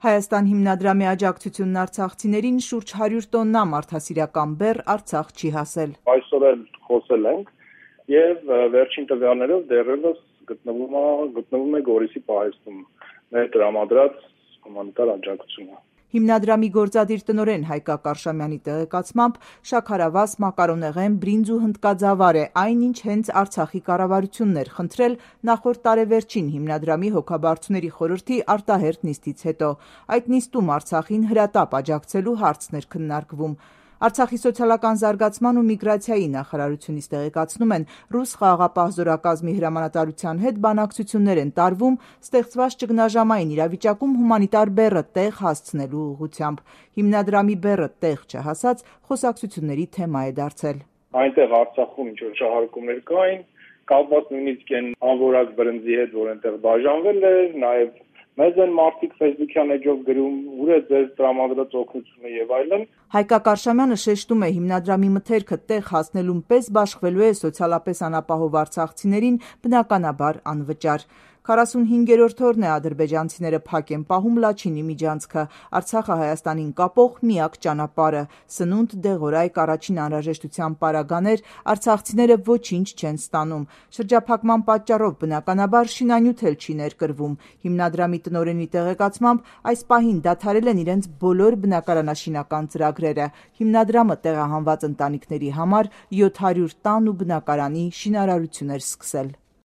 Հայաստան հիմնադրամի աջակցությունն արցախցիներին շուրջ 100 տոննա մարդասիրական բեռ Արցախ չի հասել։ Այսօր էլ խոսել ենք եւ վերջին տվյալներով դեռևս գտնվում է Գորիսի պահեստում մեր տրամադրած հումանիտար աջակցությունը։ Հիմնադրամի գործադիր տնօրեն Հայկակ Արշամյանի տեղեկացմամբ շաքարավազ, մակարոնեղեն, բրինձ ու հնդկաձավար է այն, ինչ հենց Արցախի կառավարությունն էր խնդրել նախորդ տարեվերջին Հիմնադրամի հոգաբարձուների խորհրդի արտահերթ նիստից հետո։ Այդ նիստում Արցախին հրատապ աջակցելու հարցն էր քննարկվում։ Արցախի սոցիալական զարգացման ու միգրացիայի նախարարությունից տեղեկացնում են, ռուս խաղաղապահ զորակազմի հրամանատարության հետ բանակցություններ են տարվում ստեղծված ճգնաժամային իրավիճակում հումանիտար բեռը տեղ հասցնելու ուղղությամբ։ Հիմնադրամի բեռը տեղ չհասած խոսակցությունների թեմա է դարձել։ Այնտեղ Արցախում ինչ-որ շահարկումներ կային, կապված նույնիսկ այն անորակ բրնձի հետ, որ այնտեղ բաժանվել է, նաև մեզ են մարդիկ Facebook-յան էջով գրում, ուր է ձեր տրամադրած օգնությունը եւ այլն։ Հայկակ Արշամյանը շեշտում է, հիմնադրամի մթերքը տեղ հասնելուն պես բաշխվելու է սոցիալապես անապահով արցախցիներին բնականաբար անվճար։ 45-րդ օրն է ադրբեջանցիները փակ են պահում Լաչինի միջանցքը, Արցախը Հայաստանին կապող միակ ճանապարհը։ Սնունդ, դեղորայք, առաջին անհրաժեշտության պարագաներ, արցախցիները ոչինչ չեն ստանում։ Շրջափակման պատճառով բնականաբար շինանյութ էլ չի ներկրվում։ Հիմնադրամի տնօրենի տեղեկացմամբ այս պահին դադարել են իրենց բոլոր բնակարանաշինական ծրագրերը։ Հիմնադրամը տեղահանված ընտանիքների համար 700 տան ու բնակարանի շինարարություն էր սկսել։